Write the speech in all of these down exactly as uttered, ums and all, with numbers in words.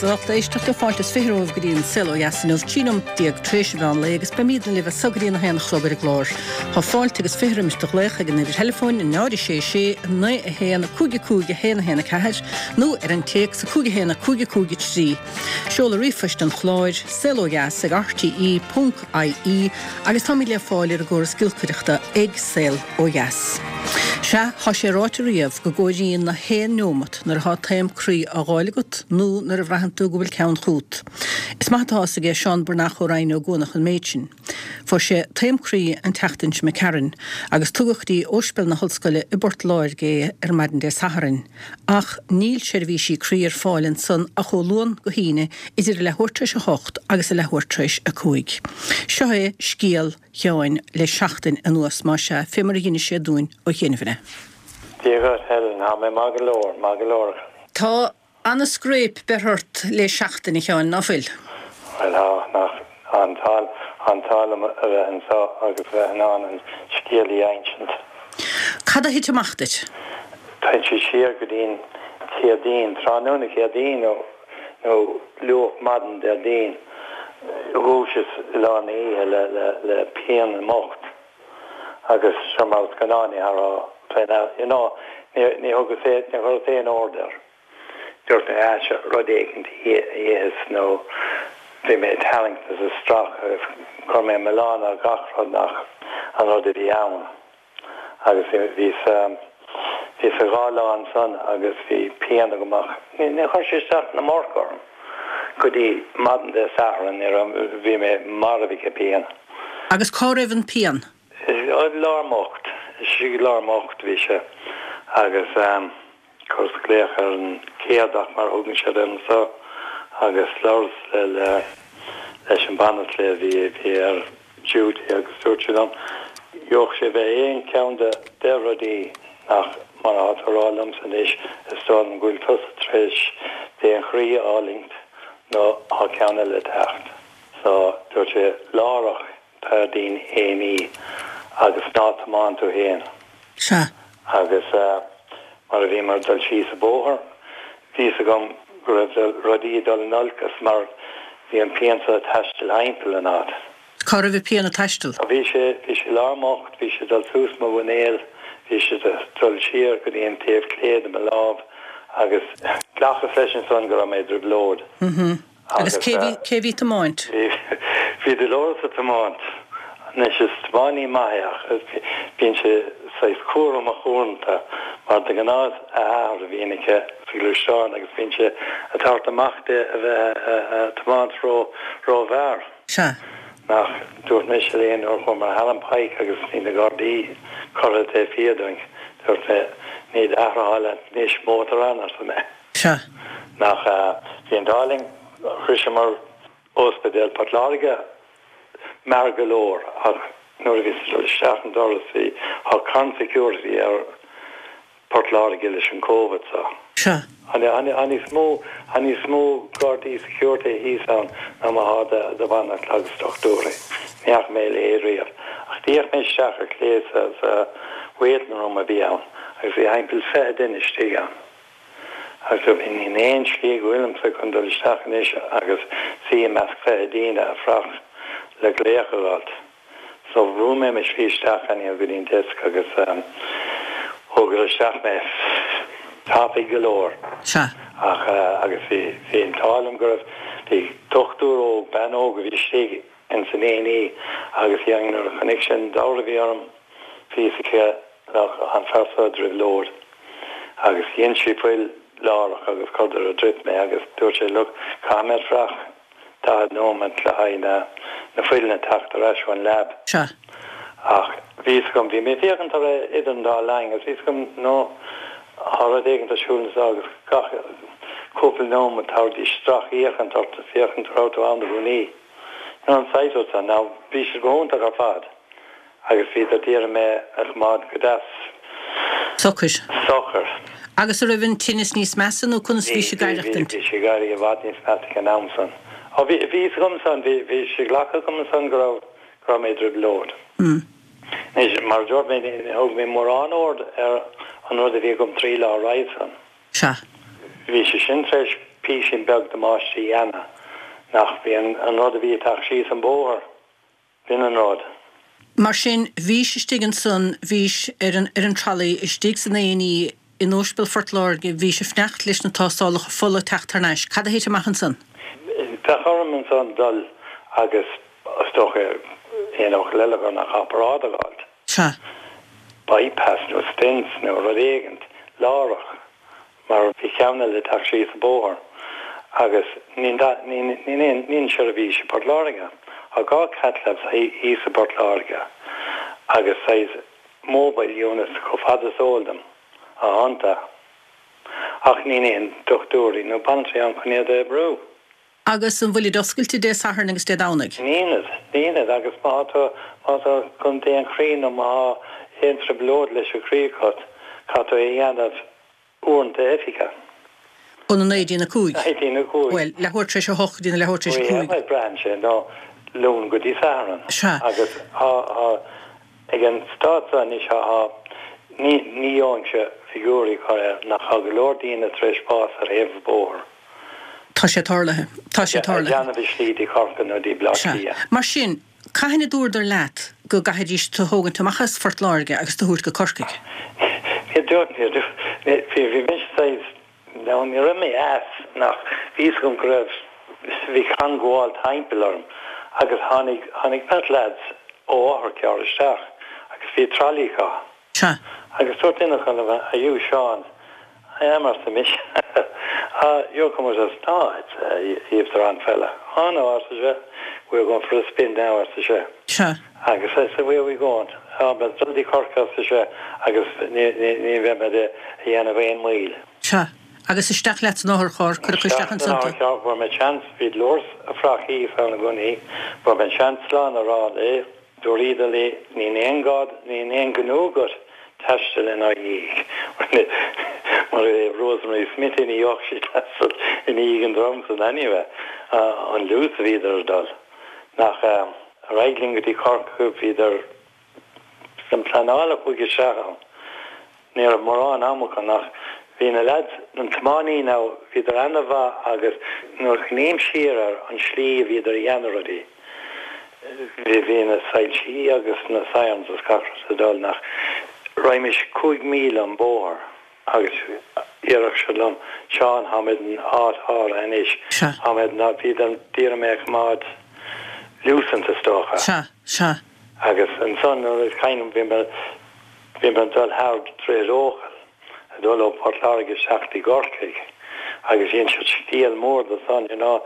Agus lucht éisteachta fáilte is fiche romhaibh go dtí an Saol Ó Dheas inniu trí nóiméad déag tar éis an mheán lae agus beimidne libh as so go dtí a haon a chlog ar an gclár. Tá fáilte agus fiche roimis do ghlaoch ag an uimhir theileafóin náid sé sé naoi a haon cúig a cúig a haon a haon a ceathair nó ar an téacs a cúig a haon a cúig a cúig a trí. Seoladh ríomhphoist an chláir saol ó dheas ag RTE ponc IE agus táimid le fáil ar an gcóras giolcaireachta ag Saol Ó Dheas. Sea, tá sé ráite riamh go gcomhairíonn na haon neomat nuair atá taom croí á fháil agat nó nuair a bhraitheann tú go bhfuil ceann chugat. Is maith atá fhios aige Seán Breathnach ó Rinn Ó gCuanach an méid sin. Fuair sé taom croí an tseachtain seo Karen, agus tugadh go dtí Ospidéal na hOllscoile i bPort Láirge é ar maidin Dé Sathairn. Ach níl seirbhísí croí ar fáil ansan ach ó Luan go hAoine idir a leathuair tar éis a hocht agus a leathuair tar éis a cúig. Seo é scéal Sheáin le seachtain anuas más ea fé mar a d'inis sé dúinn ó chianaibh. Dia dhuit Helen, tá mé maith go leor, maith go leor. Tá an-scréip beirthe ort le seachtain a Sheáin ná fuil. Well tá nach an an t-ádh liom a bheith anseo agus bheith in ann an scéal a insint. Cad a thit amach duit? Tá sé siar go dtí'n Chéadaoin, tráthnóna Chéadaoin nó nó luath maidin Déardaoin. Dhúiseas i lár na hoíche le le le pian i m'ucht agus seo mar is gnáth ní raibh you know ní ní thugas é ní chuireas aon aird air. Dúirt mé ah seo rud éicint a itheas nó bhí mé ag tarraingt is ag stracadh agus chuir mé milleán ar gach rud nach an rud a bhí ann. Agus bhí bhí sa dhá lá ansan agus bhí pian agam ach ní ní chuir sé isteach ná amach orm. Go dtí maidin Dé Sathairn ní raibh bhí mé marbh ag an bpian. Agus cá raibh an pian? I lár m'ucht, i lár m'ucht bhí sé agus chuireas glaoch ar an céadach mar a thugann siad air anseo agus labhras le le leis an banaltra a bhí bhí ar duty agus dúirt sé liom gheobhadh sé bheith aon cheann de deich rudaí nach mar atá tú a rá liomsa anois is dóigh liom go bhfuil tusa tar éis taom chroí a fhulaingt nó tá ceann eile ag teacht. So dúirt sé láithreach Déardaoin A and E agus ná tiomáin tú féin. Sea. Agus mar a bhíomar ag dul síos an bóthar, bhí fhios agam go raibh rudaí ag dul in olcas mar bhí an pian seo ag taisteal thimpeall an áit. Cá raibh an pian ag taisteal? Bhí sé, bhí sé i lár m'ucht, bhí sé ag dul suas mo mhuinéal, bhí sé ag dul siar go dtí an taobh clé de mo lámh agus ghlacas leis ansan go raibh mé i dtrioblóid. Agus cé bhí cé bhí ag tiomáint? Bhí Dolores ag tiomáint. Anois is tiománaí maith é ach bíonn sé saghas cúramach uaireanta mar de ghnáth is a athair a bhíonn aici sa ghluaisteán agus bíonn sé ag tabhairt amach di a bheith ag tiomáint ró rómhear. Sea. Nach dúirt mise léi nuair a chuamar thar an Pike agus bhí na Gardaí curtha taobh thiar dúinn, dúirt mé, ní d'athair atá leat anois mótar ann, arsa mé. Sea. Nach bhí an t-ádh linn, shroiseamar Ospidéal Port Láirge mear go leor ach nuair a bhíos ag dul isteach an doras bhí, tá carn security ar Port Láirge leis an Covid so. Sea. Tá níos mó, tá níos mó Gardaí security thíos ann ná mar atá de, de bhanaltra agus dochtúirí. Ní fhaca mé a leithéid riamh. Ach d'fhéach mé isteach ar chlé sa, sa waiting room a bhí ann agus bhí thimpeall fiche duine istigh ann. Agus dúirt mé, níl aon slí go bhfuilimse chun dul isteach anois agus suí i measc fiche daoine ag fuireach le glaoch a fháilt. So bhrúigh mé mo shlí isteach anyhow go dtí an desk agus thógadar isteach mé tapaidh go leor. Sea. Ach agus bhí bhí an t-ádh liom go raibh bhí dochtúir óg, bean óg a bhí istigh ins an A and E agus bhí nuair a chonaic sí an dealramh a bhí orm bhí fhios aici nach an fear seo i dtrioblóid agus dhein sí fuil láithreach agus chuireadar ar drip mé agus dúirt sé look caithfidh mé fuireach daichead nóiméad le haghaidh na na fuileanna teacht ar ais ón lab. Sea. Ach bhí fhios agam, bhí mé ag féachaint ar idir an dá linn agus bhí fhios agam no tá rud éigin ar siúl anseo agus gach cúpla nóiméad thabharfaidís stracfhéachaint ort féachaint raibh tú ann i gcónaí. You know an saghas rud san. Now bhí siad go hiontach ar fad. Agus bhíodar d'iarraidh mé a choimeád go deas. Socair. Socair. Agus a raibh an tinneas níos measa nó conas bhí sé ag aireachtaint? Bhí, bhí sé ag éirí i bhfad níos measa ag an am san. Ó bhí, bhí fhios agam san, bhí, bhí sé glactha agam ansan go raibh, go raibh mé i dtrioblóid. Anois, mar a dúirt mé, ní thug mé mórán aird ar an rud a bhí agam trí lá roimhe san. Sea. Bhí sé sin tar éis píosa. písín beag damáiste a dhéanamh nach bhí an, an rud a bhí ag teacht síos an bóthar, b'in an rud. Mar sin, bhís istigh ansan, bhís ar an, ar an trolley istigh san A and E in Ospidéal Phort Láirge, bhís ag fanacht leis na tástálacha fola teacht thar n-ais. Cad a thit amach ansan? Bheadh orm ansan dul agus is dócha aon fhocal eile gur nach obráid a fháilt. Sea. Bypass nó stents nó rud éigint láithreach mar bhí ceann eile ag teacht síos an bóthar agus níl aon seirbhís i bPort Láirge. Tá dhá cath labs thíos i bPort Láirge agus saghas mobile units chomh fada is eol dom atá iontu. Ach níl aon dochtúirí nó banaltraí ann chun iad a oibriú. Agus an bhfuilid oscailte Dé Sathairn agus Dé Domhnaigh? Nílid, nílid agus má tá má tá chun déan croí nó má aon trioblóid leis an chroí agat, caithfidh tú é a dhéanamh uaireanta oifige. Óna naoi dtí na cúig? Naoi dtí na cúig. Bhuel, leathuair tar éis a hocht go dtí na leathuair tar éis a cúig. Bhuel, braitheann sé nó Luan go dtí Satharn. Sea. Agus tá tá ag an staid seo anois tá ní ní gheobhainnse figiúirí a chur air nach tá go leor daoine tar éis bás ar thaobh an bhóthair. Tá sé tarlaithe. Tá sé tarlaithe. Ag déanamh a slí dtí Corcaigh nó dtí Bleá Sea. Cliath. Mar sin, cathain a dúradar leat go gcaithfidís tú thógaint amach as Phort Láirge agus tú thabhairt go Corcaigh? Níor dúirt, níor dúirt, bhí, bhí mise saghas, no, ní raibh mé as, nach, bhí fhios agam go raibh, bhí canbháil timpeall orm agus tháinig, tháinig beirt lads ó otharcharr isteach agus bhí trolley acu. Sea. Agus dúirt duine acu liom, are you Seán? I am, arsa mise. Ah, you're coming with us? No, it's, uh, you've the wrong fella. Oh no, arsa sé, we're going for a spin now, arsa sé. Sea. Agus I said, where are we going? Oh, but dul dtí Corcaigh, arsa sé, agus ní, ní, ní bheidh mé a dhéanamh aon mhoill. Sea. Agus isteach leat san otharcharr, cuireadh isteach ansan tú. Fuair mé seans, bhí Dolores ag fuireach thíos ann i gcónaí, fuair mé seans slán a rá léi, dúradar léi, níl aon gá, níl aon ghnó agat taisteal inár ndiaidh. Mar é Rosemary Smith ní bheadh sí taisteal i ndiaidh an dream san anyway, an luas a bhíodar ag dul. Nach ar aghaidh linn go dtí Corcaigh bhíodar san pleanáil a chuaigh isteach ann. Ní raibh mórán ama acu nach bhí na lads, an tiománaí now, bhíodar an-mhaith agus nuair a chuimhním siar ar an slí a bhíodar a dhéanamh rudaí, bhí bhí na soilsí agus na sirens agus gach rud ag dul nach raghaimís cúig míle an bóthar agus déarfadh siad liom, Seán, táimid in áit áirithe anois, Sea. táimid ná bhíodar d'iarraidh mé a choimeád lucent is dócha. Sea, sea. Agus ansan nuair a cuimhním bhí mé bhí mé ag dul thar Droichead Eochaill, ag dul ó Port Láirge isteach dtí gCorcaigh agus dhein siad scéal mór de san, you know,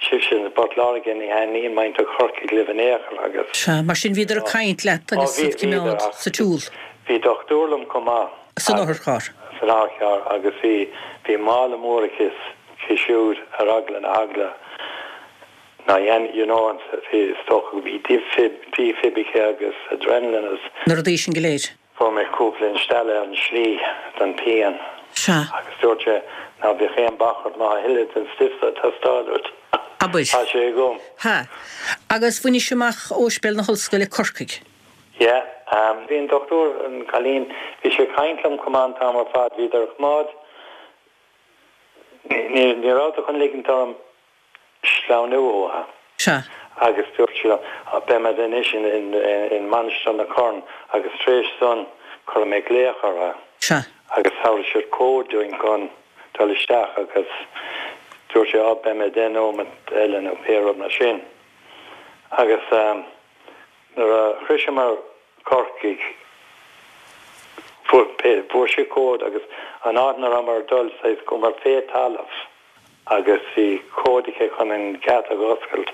sibhse i bPort Láirge ní thaitníonn muintir Chorcaigh libh in aon chor agus. Sea, mar sin bhíodar ag caint leat Ó agus bhí iad bhíodar cimeád ach sa tsiúl. bhí dochtúir liom chomh maith San otharcharr. san otharcharr agus bhí bhí mála mór aici aici siúd ar eagla na heagla ná dhein you know an bhí is dócha go bhí defib defib aici agus adrenaline agus Na rudaí sin go léir. Fuair mé cúpla instealladh ar an slí don pian. Sea. Agus dúirt sé ná bíodh aon bac ort má tá a thuilleadh den stuif ag teastáil uait. Abair. Tá sé agam. Ha. Agus bhainis amach Ospidéal na hOllscoile Corcaigh. Yeah, um, bhí an dochtúir an cailín, bhí sé ag caint liom chomh maith an t-am ar fad, bhíodar ag coimeád, ní, ní rabhadar chun ligint orm sleamhnú uathu. Sea. Agus dúirt sí liom, beimid anois in, in, in Mainistir na Corn agus tar éis san cuirfidh mé glaoch orthu. Sea. Agus thabharfaidh siad cód dúinn chun dul isteach agus dúirt sé, á, beidh mé deich nóiméad eile nó pé rud mar sin. Agus um, nuair a shroicheamar Corcaigh fuair pé fuair sé cód agus an áit ina rabhamar ag dul saghas chuamar fé talamh agus bhí cód aici chun an geata a oscailt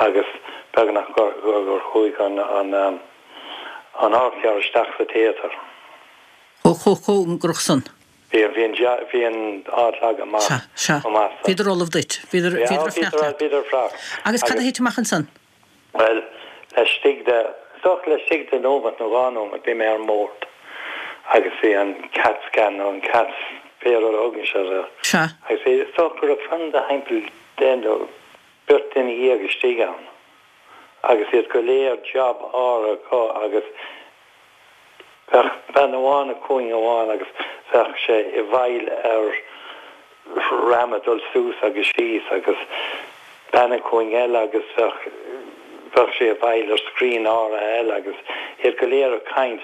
agus beagnach gur gur gur chuaigh an an um, an otharcharr isteach sa téatar. Chomh chomh cóngarach san. Bhí bhí an ja- bhí an áit leagtha amach Sea, sea. chomh maith san. Bhíodar ullamh duit. Bhíodar Yeah, bhíodar ag fanacht bhíodar leat. bhíodar ag faire. Agus cad a Agus thit amach ansan? Well, laistigh de is laistigh de nóiméad nó dhá nóiméad bhí mé ar an mbord agus bhí an CAT scan nó an CAT pé rud a thugann siad air. Sea. Agus bhí is dócha go raibh fan de thimpeall deich nó beirt duine dhéag istigh ann. Agus iad go léir job áirithe acu agus bheadh bean amháin i gcúinne amháin agus bheadh sé i bhfeighil ar ram ag dul suas agus síos agus bean i gcúinne eile agus bheadh bheadh sé ag fáil ar screen áirithe eile agus iad go léir ag caint.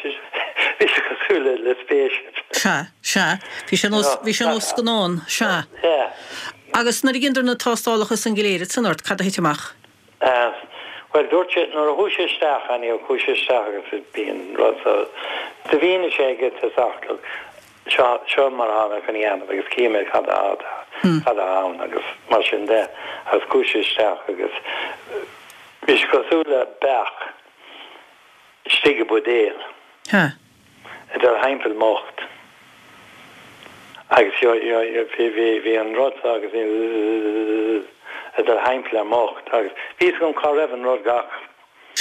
Bhí sé cosúil le le spaceship. Sea, sea. Bhí sé nós bhí sé nós scannán, sea. Yeah. Agus nuair a dheineadar na tástálacha san go léir ansan ort, cad a thit amach? Uh, Well dúirt sé nuair a chuaigh sé isteach anyhow chuaigh sé isteach agus bíonn rud so do mhínigh sé ag an tosach look seo seo mar atá mé chun a dhéanamh agus cífidh mé cad atá cad atá ann agus mar sin de agus chuaigh sé isteach agus bhí sé cosúil le beach istigh i buidéal. Ha. Ag dul thimpeall m'ucht. Agus jo jo jo bhí bhí bhí an rud so agus bhí ag dul thimpeall ar m'ucht agus bhí fhios agam cá raibh an rud gach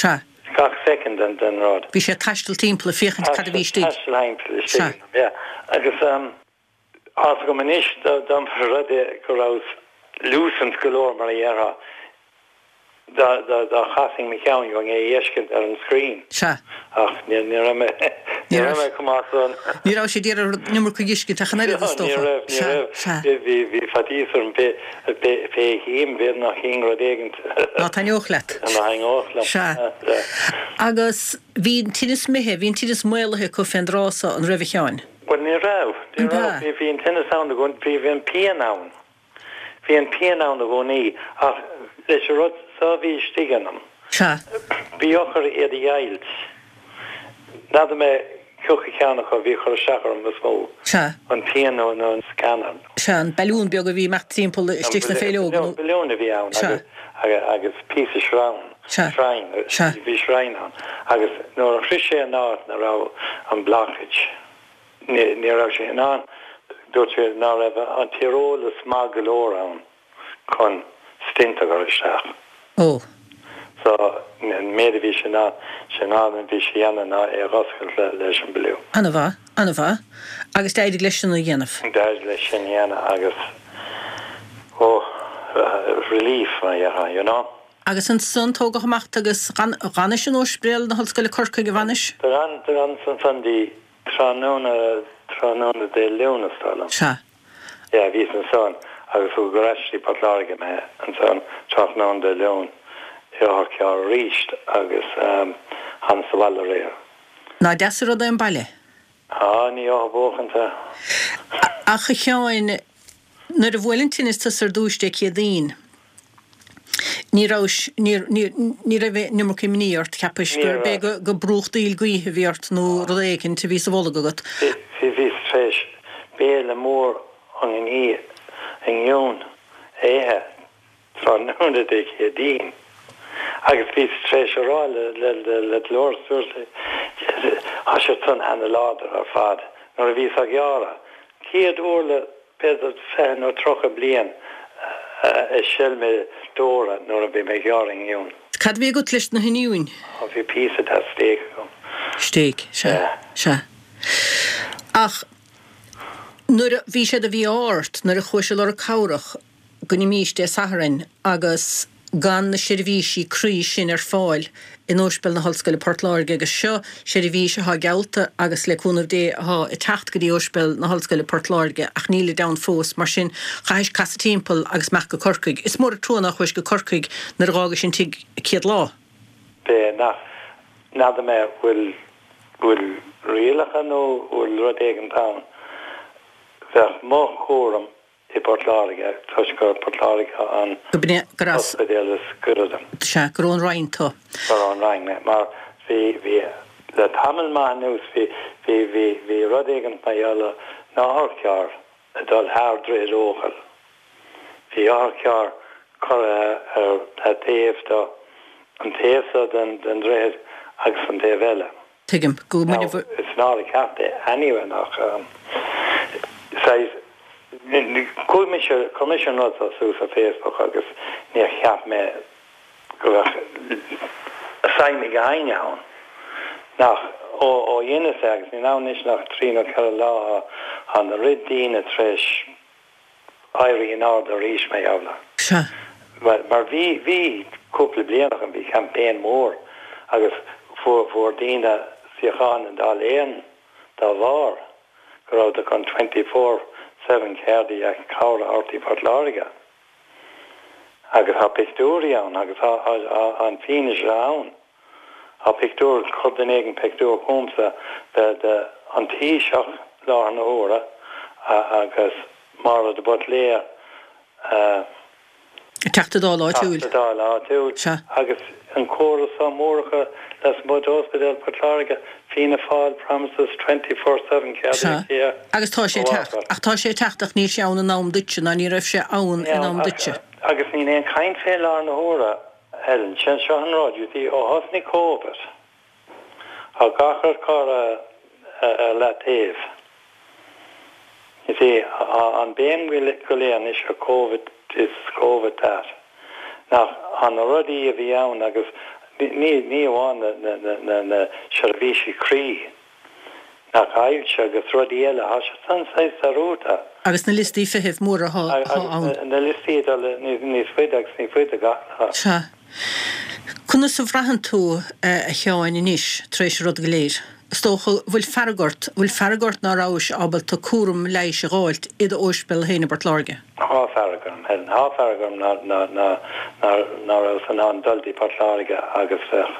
Sea. gach second den den rud. Bhí sé ag taisteal timpeall ag féachaint cad a bhí istigh. Taisteal thimpeall istigh. Yeah. Agus um tá fhios agam anois dá mba rud é go raibh lucent go leor mar a dhéarfá dá dá dá chasfainn mo cheann gheobhainn é a fheiscint ar an screen. Sea. Ach ní ní raibh mé ní raibh mé chomh maith san. Ní raibh sé d'iarraidh an iomarca a fheiscint ach an oiread is Ní dócha. raibh ní Sea, raibh sea. bhí bhí bhí faitíos orm pé pé pé chím b'fhéidir nach chínn rud éigin Ná taitneodh leat. ná taitneodh liom. Sea. Agus bhí an tinneas imithe, bhí an tinneas maolaithe acu fén dtráth so an raibh a Sheáin? Well ní raibh ní An raibh ea? bhí bhí an tinneas ann i gcónaí bhí bhí an pian ann. Bhí an pian ann i gcónaí ach leis an rud so a bhí istigh ionam. Sea. Bhí eochair iad a dheighilt. N'fheadar mé cé acu ceann acu a bhí ag cur isteach orm is mó. Sea. An pian nó nó an scanner. Sea, an balún beag a bhí amach timpeall istigh sna féileoga nó. Balún a bhí ann Sea. agus agus píosa sreang. Sea. Sreang. Sea. Bhí sreang ann. Agus nuair a shroich sé an áit ina raibh an blockage ní ní raibh sé in ann dúirt sé ná raibh an t-eolas maith go leor ann chun stent a chur isteach. Ó. So an méid a bhí sé in ann sé in ann a bhí sé a dhéanamh ná é a dh'oscailt le leis an balún. An-mhaith, an-mhaith. Agus d'éirigh leis sin a dhéanamh. D'éirigh leis sin a dhéanamh agus ó relief mar a dhéarfá, you know. Agus ansan tógadh amach agus d'fhanais in Ospidéal na hOllscoile Corcaigh a bhfanais? D'fhan d'fhanas ansan dtí tráthnóna tráthnóna Dé Luain is dóigh liom. Sea. Yeah, bhíos ansan agus tugadh ar ais dtí Port Láirge mé ansan tráthnóna Dé Luain i otharcharr arís agus um, thánas abhaile aréir. Ná deas an rud é an baile? Á, ní á buachanta. Ach a Sheáin, nuair a bhuail an tinneas tusa ar dtús Dé Céadaoin, ní raibh ní raibh an iomarca imní ort, cheapais Ní gur raibh. b'é go go brúchtaíl gaoithe a bhí ort nó rud éicint a bhí sa bholg agat. Bhí bhíos tar éis béile mór an í inniu a ithe tráthnóna Dé Céadaoin. Agus bhíos tar éis a rá le le le le Dolores dúirt tá sé san an-láidir ar fad nuair a bhíos á ghearradh. Céad uair le b'fhéidir fiche nó tríocha bliain a shil mé deora nuair a bhí mé ag gearradh oinniún. Cad bhí agat leis na hoinniúin? Ó bhí píosa de stéig agam. Stéig, sea, Yeah. sea. Ach nuair a bhí sé de mhí-ádh ort nuair a chuais ag lorg cabhrach go n-imís Dé Sathairn agus gan na seirbhísí croí sin ar fáil in Ospidéal na hOllscoile Port Láirge agus seo seirbhís atá geallta agus le cúnamh Dé atá ag teacht go dtí Ospidéal na hOllscoile Port Láirge ach níl ann fós mar sin chaithis casadh timpeall agus imeacht go Corcaigh. Is mór an trua nár chuais go Corcaigh nuair a d'fhágais an tigh céad lá. Bé nach n'fheadar mé bhfuil bhfuil rialacha nó bhfuil rud éigin ann. Bheadh mo chúram i Port Láirge toisc gur Port Láirge an Go b'in gur as ospidéal is gaire dom. sea gur ón Rinn tú. Gur ón Rinn mé mar bhí bhí le tamall maith anuas bhí bhí bhí bhí rud éigin mar gheall na hotharchairr ag dul thar Droichead Eochaill. Bhí otharcharr curtha ar ar taobh do an taobh seo den den droichead agus an taobh eile. Tuigim go Now, muine it's not a ceart é anyway nach um, saghas chuir mise chuir mise an rud seo suas ar Facebook agus níor cheap mé go bheadh suim ag éinne ann. Nach ó ó dheineas é agus níl ann anois nach trí nó ceithre lá an rud daoine tar éis éirí in airde arís mé eile. Sea. Mar mar bhí bhí cúpla bliain an bhí campaign mór agus fuair fuair daoine suíochán in Dáil Éireann dá bharr go raibh chun twenty four seven cardiac cabhair a thabhairt i Port Láirge. Agus tá pictiúirí ann agus tá an fianaise ann. Tá pictiúr, chuir duine éigin pictiúr chugamsa de de an Taoiseach láthair na huaire agus Máire de Buitléir, Teachta Dála áitiúil. Teachta Dála áitiúil. Sea. Agus an comhartha seo mór acu lasmuigh d'Ospidéal Port Láirge, Fianna Fáil promises twenty four seven cardiac care. Agus tá sé ag teacht. Ach tá sé ag teacht ach níl sé ann in am duitse ná ní raibh sé ann in am duitse. Agus níl aon chaint fé láthair na huaire, Helen. Sin seo an rud, you see, ó thosnaigh Covid, tá gach rud curtha ar leataobh. You see, tá an béim go léir anois ar Covid this, Covid that. Nach tá na rudaí a bhí ann agus ní ní amháin na na na na na seirbhísí croí, nach ailse agus rudaí eile, tá sé san saghas dearúdta. Agus na liostaí feithimh móra atá ann. Agus na liostaí ag dul níos faide agus níos faide gach lá. Sea. Conas a bhraitheann tú, a Sheáin, anois, tar éis an rud go léir? Is dócha, bhfuil fearg ort, bhfuil fearg ort ná rabhais ábalta cúram leighis a dh'fháilt i d'óispidéal féin i bPort Láirge? Tá fearg orm, Helen, tá fearg orm ná, ná, ná, ná, ná rabhas in ann dul dtí Port Láirge agus bheith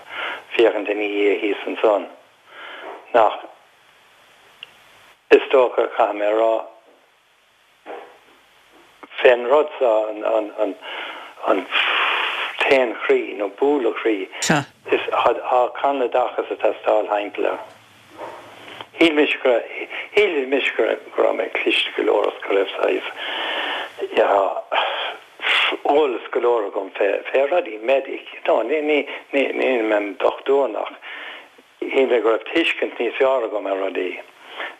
féachaint ina dhiaidh thíos ansan. Nach, is dócha, caithfidh mé a rá, fén rud seo, an, an, an, an taom chroí nó bualadh croí, Sea. is tá carnadachas ag teastáil thimpeall air. Shíl mise go raibh, shíl mise go raibh, go raibh mé cliste go leor agus go raibh saghas, yeah, eolas go leor agam fé, fé rudaí medic, you know, ní, ní, ní, níl mé im dhochtúir ach shíl mé go raibh tuiscint níos fearr agam ar rudaí.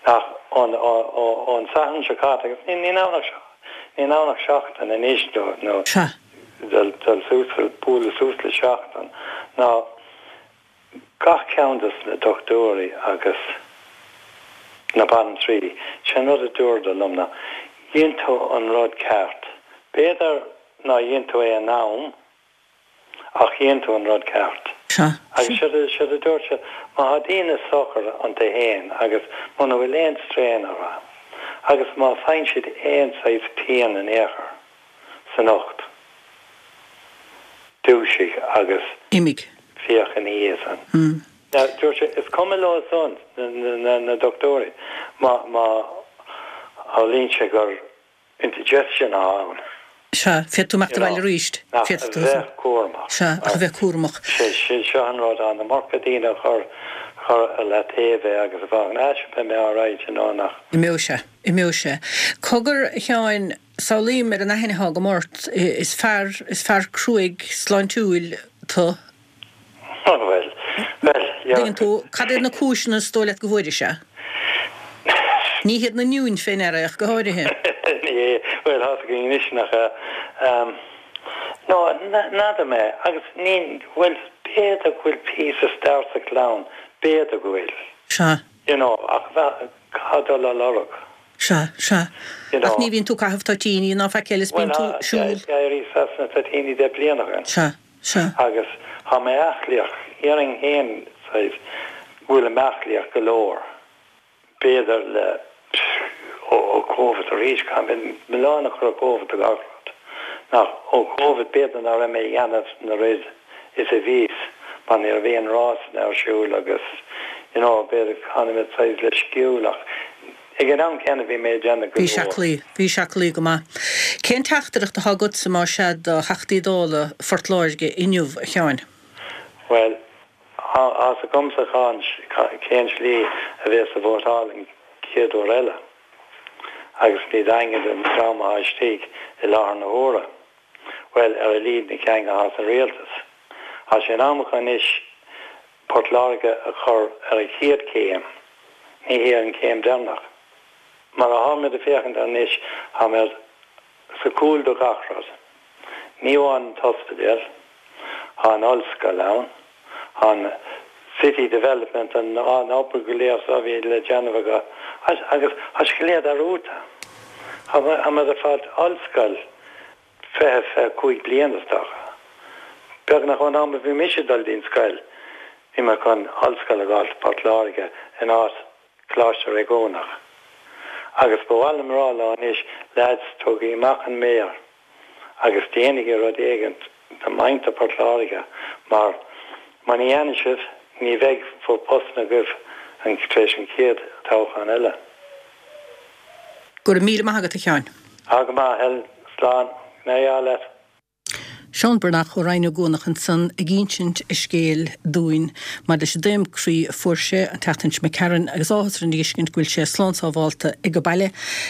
Ach ón, ó, ó, ón Satharn seo caite, agus ní, ní ann ach, ní ann ach seachtain anois nó, nó Sea. dul, dul suas, bualadh suas le seachtain, ná gach ceann dos na dochtúirí agus na baintrí, sé an rud a dúradar liom ná, dhein tú an rud ceart. B'fhéidir nár dhein tú é in am, ach dhein tú an rud ceart. Sea. Agus siad a, siad a dúirt siad, má tá daoine socair iontu féin agus muna bhfuil aon strain orthu, agus má faigheann siad aon saghas pian in aon chor san ucht, dúisigh agus Imigh. féach ina dhiaidh san. Now, dúirt sé, is cuma leo san, na, na, na dochtúirí, má, má tharlaíonn sé gur indigestion atá ann. Sea, féadfaidh tú imeacht abhaile arís. Ach a Féadfaidh tú. bheith cúramach. Sea, ach a bheith cúramach. Sé, sé seo an rud, an iomarca daoine a chur, chur ar leataobh é agus a bheith, ah, sure beidh mé alright, you know, nach. Imeoidh sé, imeoidh sé. Cogar, a Sheáin, samhlaím ar an aithne atá agam ort, is fear, is fear cruaidh sláintiúil tú. Bhuel, bhuel, yeah. Tuigeann tú, cad iad na cúiseanna is dóigh leat go bhfuairis é? Ní hiad na nionnaí fé ndeara ach go háirithe. Ní hé, bhuel, tá a fhios againn anois nach ea. Um, no, n'fheadar mé, agus ní, bhuel, b'fhéidir go bhfuil píosa stair sa chlann, b'fhéidir go bhfuil. Sea. You know, ach bheith, caithfidh dul á lorg. Sea, sea. You know. Ach ní bhíonn tú ag caitheamh toitíní ná faic eile is bíonn tú Bhuel, siúl. D'éiríos as na toitíní deich bliana ó shin. Sea, sea. Agus tá mé aclaíoch, déarfainn féin, saghas, go bhfuilim aclaíoch go leor. B'fhéidir le, ó, ó Covid arís, caithfidh mé milleán a chur ar Covid do gach rud. Nach, ó Covid b'fhéidir nach raibh mé ag déanamh na rud is a bhíos, mar ní raibh aon rásanna ar siúl agus, you know, b'fhéidir tháinig mé saghas leisciúil ach ag an am céanna bhí mé ag déanamh go Bhí sé leor. aclaí, bhí sé aclaí go maith. Cén teachtaireacht atá agatsa más ea do Theachtaí Dála Phort Láirge inniu, a Sheáin? Bhuel, tá a fhios agamsa cén slí a bheas ag vótáil an chéad uair eile. Agus ní daingean den dream atá istigh i láthair na huaire. Bhuel, ar a laghad na cinn atá sa rialtas. Tá sé in am acu anois Port Láirge a chur ar a chéad chéim, ní hé an chéim deireanach. Mar atáimid ag féachaint anois, táimid sa chúl do gach rud. Ní amháin an t-ospidéal, tá an ollscoil ann, tá an city development, an an obair go léir so a bhí le déanamh acu, agus tá sé go léir dearúdta. Táimid ag fáil ollscoil fiche fiche cúig bliain is dócha. Beagnach ón am a bhí mise ag dul dtí'n scoil, bhí mé chun ollscoil a fháil Port Láirge in áit Coláiste Réigiúnach. Agus ba mhaith liom a rá leo anois, lads, tógaigí amach an méar agus déanaigí rud éigint do mhuintir Port Láirge mar muna ndéanann sibh ní bheidh bhur bpostanna agaibh tar éis an chéad toghchán eile. Go raibh míle maith agat a Sheáin. Tá go maith, Helen. Slán. Gné leat. Seán Breathnach ó Rinn Ó gCuanach ansan ag insint a scéil dúinn maidir leis an dtaom croí a fuair sé an tseachtain seo imigh tharainn agus áthas orainn a fheiscint go bhfuil sé slán sábhálta ag baile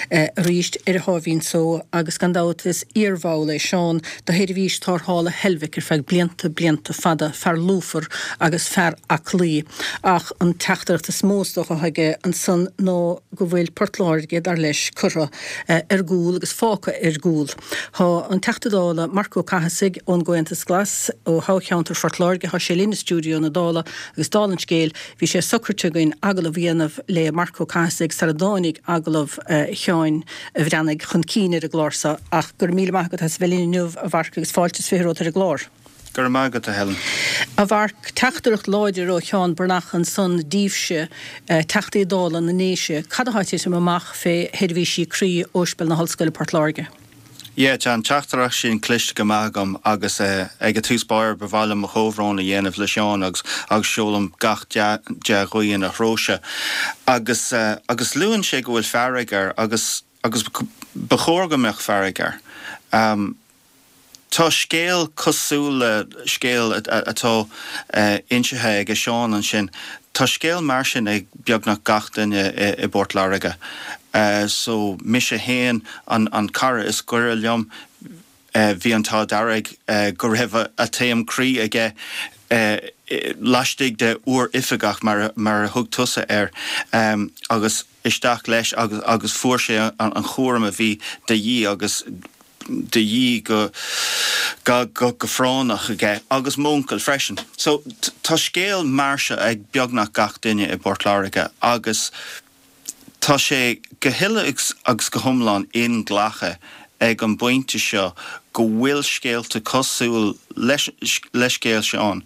arís ar a sháimhín só agus gan dabht is iarbhall é Seán de sheirbhís tarrthála Heilbhic ar feadh blianta blianta fada, fear lúfar agus fear aclaí. Ach an teachtaireacht is mó is dócha atá aige ansan ná go bhfuil Port Láirge, dar leis, curtha ar gcúl agus fágtha ar gcúl. Tá an Teachta Dála Marc Ó Cathasaigh ón gComhaontas Glas ó thoghcheantar Phort Láirge, tá sé linn i stiúideo na Dála agus dála an scéil, bhí sé socraithe againn agallamh a dhéanamh le Marc Ó Cathasaigh sara dtáinig agallamh Sheáin Bhreathnaigh chun cinn ar an gclár seo ach go raibh míle maith agat as a bheith linn inniu a Mharc agus fáilte is fiche romhat ar an gclár. Go raibh maith agat a Helen. A Mharc, teachtaireacht láidir ó Sheán Breathnach ansan díbhse, Teachtaí Dála na nDéise, cad atá ag titim amach fé sheirbhísí croí Ospidéal na hOllscoile Port Láirge? Yeah, tá an teachtaireacht sin cloiste go maith agam agus ag a tús báire ba mhaith liom mo chomhbhrón a dhéanamh le Seán agus agus seolaim gach dea-ghuí ina threo-sa. Agus agus luann sé go bhfuil fearg air agus agus ba chóir go mbeadh fearg air. Um, Tá scéal cosúil le scéal atá insithe ag Seán ansin. Tá scéal mar sin ag beagnach gach duine i bPort Láirge. So mise féin an an cara is gaire liom, bhí an t-ádh dearg go raibh a taom croí aige laistigh de uair oifigeach mar mar a thug tusa air agus isteach leis agus agus fuair sé an an chúram a bhí de dhíth agus de dhíth go go go go práinneach aige agus m'uncail freisin. So tá scéal mar seo ag beagnach gach duine i bPort Láirge agus tá sé go huile agus go hiomlán inghlactha ag an bpointe seo go bhfuil scéalta cosúil leis le scéal Seán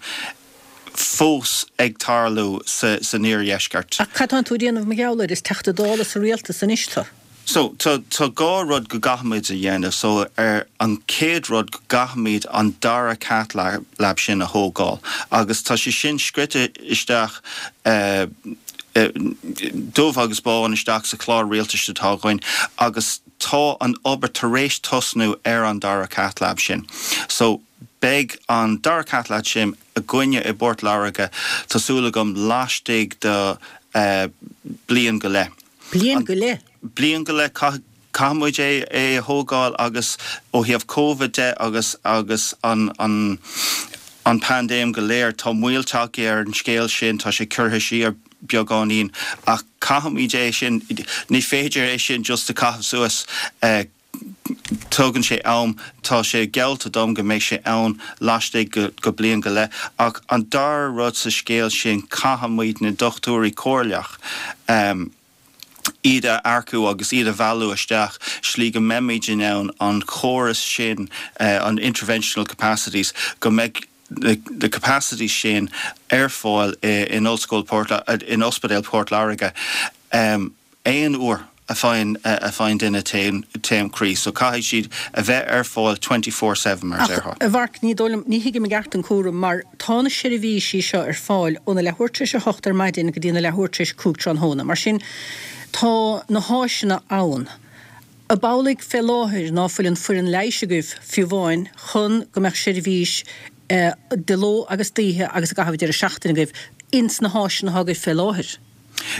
fós ag tarlú sa san iardheisceart. Ach cad tá tú a dhéanamh mar gheall air? Is Teachta Dála sa rialtas anois tú. So tá tá dhá rud go gcaithfimid a dhéanamh. So ar an chéad rud go gcaithfimid an dara cath lab, lab sin a thógáil agus tá sé sin scrite isteach uh, uh, dubh agus bán isteach sa chlár rialtais atá againn agus tá an obair tar éis tosnú ar an dara cath lab sin. So beidh an dara cath lab sin againne i bPort Láirge tá súil agam laistigh de uh, bliain go leith. Bliain go leith? Bliain go leith caithfimid é é a thógáil agus ó thaobh Covid de agus agus an an an paindéim go léir tá moill tagtha ar an scéal sin tá sé curtha siar beagáinín ach caithfimid é sin ní féidir é sin just a chaitheamh suas uh, Tugann sé am tá sé geallta dom go mbeidh sé ann laistigh go, go bliain go leith ach an dara rud sa scéal sin caithfimid na dochtúirí comhairleach um, iad a earcú agus iad a mhealladh isteach slí go mbeimid in ann an chóras sin uh, an interventional capacities go mbeidh the, the capacity sin ar fáil in Ollscoil Port in Ospidéal Port Láirge um, aon uair a faigheann a faigheann duine taom taom croí, so caithfidh siad a bheith ar fáil twenty four seven mar a déarfá. A Mharc, ní dóigh liom, ní thuigim i gceart an cúram mar tá na seirbhísí seo ar fáil óna leathuair tar éis a hocht ar maidin go dtí na leathuair tar éis a cúig tráthnóna. Mar sin, tá na háiseanna ann. Ab amhlaidh fé láthair ná fuil an foireann leighis agaibh fiú amháin chun go mbeadh seirbhís de ló agus d'oíche agus i gcaitheamh deireadh seachtaine agaibh ins na háiseanna atá agaibh fé láthair?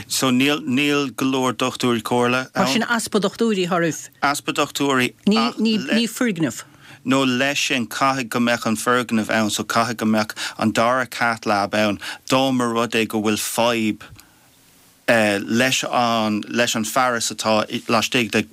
So níl níl go leor dochtúirí comhairle Mar sin easpa dochtúirí atá oraibh? Easpa dochtúirí Ní ní ní foirgneamh. No leis sin caithfidh go mbeadh an foirgneamh ann so caithfidh go mbeadh an dara cath lab ann dá mba rud é go bhfuil fadhb leis an leis an fearas atá laistigh de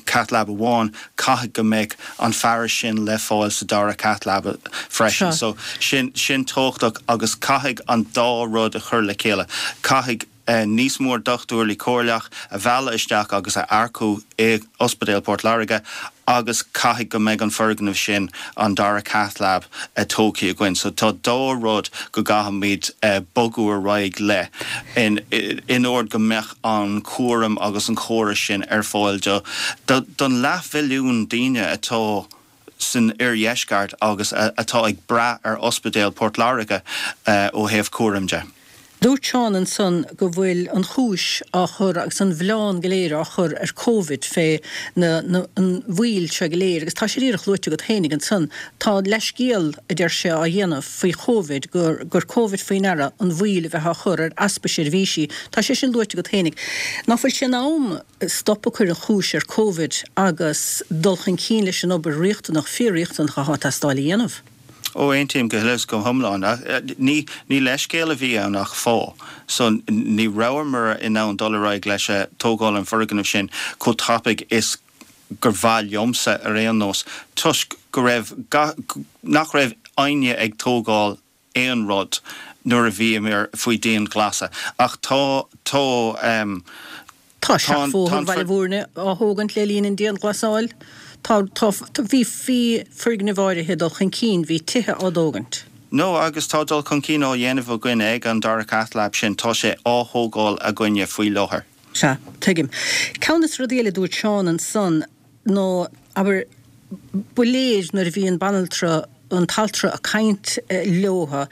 cath lab amháin, caithfidh go mbeidh an fearas sin le fáil sa dara cath lab freisin. So sin sin tábhachtach agus caithfidh an dá rud a chur le chéile. Caithfidh níos mó dochtúirí comhairleach a mhealladh isteach agus a earcú i Ospidéal Port Láirge agus caithfidh go mbeidh an foirgneamh sin an dara cath lab tógtha againn. So tá dá rud go gcaithfimid bogadh ar aghaidh le in in ord go mbeadh an cúram agus an córas sin ar fáil do don leathmhilliún daoine atá san oirdheisceart agus atá ag brath ar Ospidéal Port Láirge ó thaobh cúram de. Dúirt Seán ansan go bhfuil an chúis á chur agus an mhilleán go léir á chur ar Covid fé na, na, an mhoill seo go léir agus tá sé díreach luaite agat fhéinig ansan. Tá leithscéal, a deir sé, á dhéanamh faoi Covid gur, gur Covid faoi ndeara an mhoill a bheith á chur ar easpa seirbhísí. Tá sé sin luaite agat fhéinig. Ná fuil sé in am stop a chur an chúis ar Covid agus dul chun cinn leis an obair riachtanach, fíor-riachtanach atá ag teastáil a dhéanamh? Ó aontaím go huile is go hiomlán. Ní ní leithscéal a bhí ann ach fáth. So ní rabhamar in ann dul ar aghaidh leis tógáil an foirgnimh sin chomh tapaidh is gur mhaith liomsa ar aon nós toisc go raibh nach raibh éinne ag tógáil aon rud nuair a bhíomar faoi dianghlasáil. Ach tá tá Tá seachbhóthar Bhaile Mhúirne á thógaint le linn an dianghlasáil. Tá, tá, bhí, bhí foirgnimh áirithe ag dul chun cinn, bhí tithe á dtógaint. No, agus tá dul chun cinn á dhéanamh againn ag an dara cath lab sin, tá sé á thógáil againne faoi láthair. Sea, tuigim. Ceann de na rudaí eile a dúirt Seán ansan nó, abair, ba léir nuair a bhí an banaltra, an t-altra ag caint leotha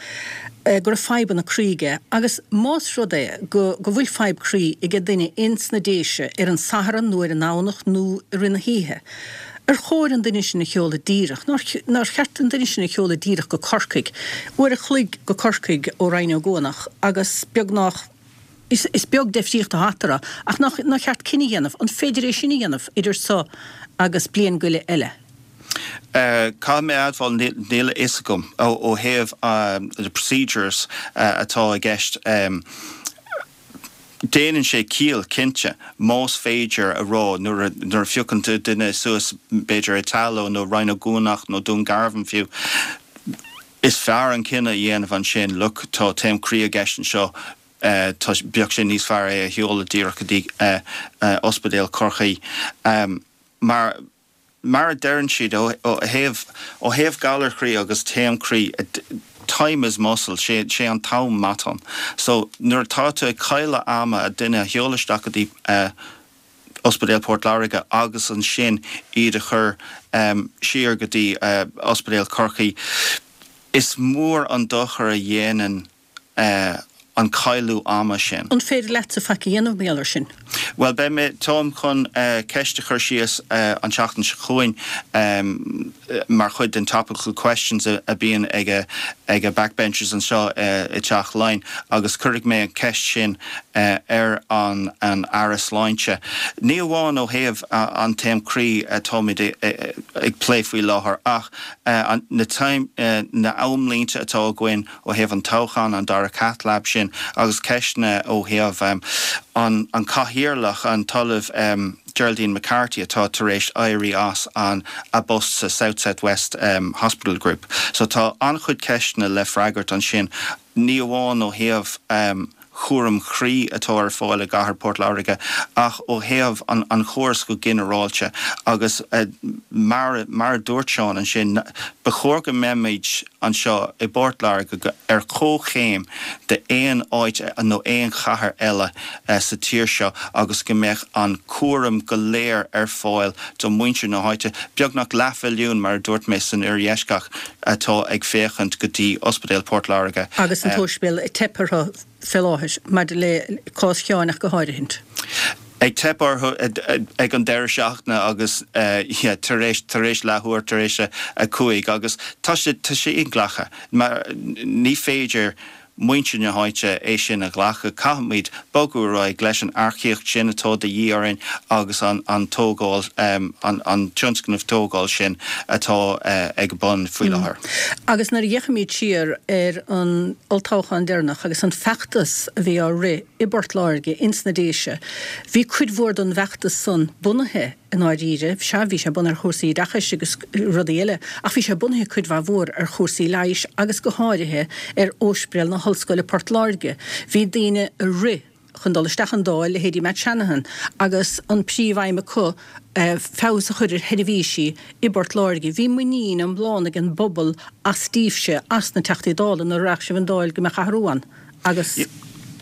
go raibh fadhbanna croí aige agus más rud é go go bhfuil fadhb croí ag duine ins na Déise ar an Satharn nó ar an nDomhnach nó i rith na hoíche, ar chóir an duine sin a sheoladh díreach, nár nár cheart an duine sin a sheoladh díreach go Corcaigh, uair a chloig go Corcaigh ó Rinn Ó gCuanach agus beagnach Is is beag deifríocht atá eatarthu, ach nach nár cheart cinneadh a dhéanamh, an féidir é sin a dhéanamh idir so agus bliain go leith eile? Caithfidh mé a admháil, níl a fhios agam ó thaobh na procedures atá i gceist. Déanann sé ciall, cinnte, más féidir a rá nuair a phiocann tú duine suas, b'fhéidir i Tallow nó Rinn Ó gCuanach nó Dún Garbhán fiú, is fearr an cinneadh a dhéanamh ansin, look, tá taom croí i gceist anseo, tá, bheadh sé níos fearr é a sheoladh díreach go dtí Ospidéal Chorcaí. Mar. Mar a deireann siad, ó thaobh, ó thaobh galar croí agus taom croí, time is muscle, sé, sé an t-am matán. So, nuair atá tú ag cailleadh ama duine a sheoladh isteach go dtí Ospidéal Port Láirge agus ansin iad a chur siar go dtí Ospidéal Chorcaí, is mór an dochar a dhéanann an cailleadh ama sin. An féidir leatsa faic a dhéanamh mar gheall air sin? Bhuel, beidh mé, táim chun ceist a chur síos an tseachtain seo chugainn mar chuid den Topical Questions a bíonn ag ag backbenchers anseo i dTeach Laighean agus cuirfidh mé an ceist sin ar an an Aire Sláinte. Ní amháin ó thaobh an taom croí atáimid ag plé faoi láthair ach na na amlínte atá againn ó thaobh an toghcháin, an dara cath lab sin agus ceisteanna ó thaobh an an cathaoirleach, an tOllamh Geraldine McCarthy atá tar éis éirí as an a bpost sa South South West Hospital Group. So tá an-chuid ceisteanna le freagairt ansin, ní amháin ó thaobh chúram croí atá ar fáil i gcathair Port Láirge ach ó thaobh an an chóras go ginearálta agus mar mar a dúirt Seán ansin, ba chóir go mbeimid anseo i bPort Láirge ar comhchéim d'aon áit nó aon chathair eile sa tír seo agus go mbeadh an cúram go léir ar fáil do mhuintir na háite, beagnach leathmhilliún mar a dúirt mé san oirdheisceart atá ag féachaint go dtí Ospidéal Port Láirge. Agus an t-ospidéal ag teip orthu fé láthair, maidir le cás Sheáin ach go háirithint. Ag teip orthu ag an deireadh seachtaine agus yeah tar éis tar éis leathuair tar éis a cúig agus tá sé tá sé inghlactha mar ní féidir muintir na háite é sin a ghlacadh. Caithfimid bogadh ar aghaidh leis an earcaíocht sin atá de dhíth orainn agus an an tógáil an an tionscnamh tógáil sin atá ag bun faoi láthair. Agus nuair a fhéachaimid siar ar an olltoghchán deireanach agus an feachtas a bhí á rith i bPort Láirge, ins na Déise, bhí cuid mhór den bhfeachtas san bunaithe i ndáiríre, sea, bhí sé bunaithe ar chúrsaí oideachais agus rudaí eile, ach bhí sé bunaithe cuid mhaith mhór ar chúrsaí leighis agus go háirithe ar Ospidéal na hOllscoile Port Láirge. Bhí daoine a rith chun dul isteach an Dáil, leithéidí Matt Shanahan, agus an príomhaidhm acu feabhas a chur ar sheirbhísí i bPort Láirge. Bhí muinín iomlán ag an bpobal astaibhse, as na Teachtaí Dála, nuair a rachadh sibh an Dáil go mbeadh athrú ann. Agus.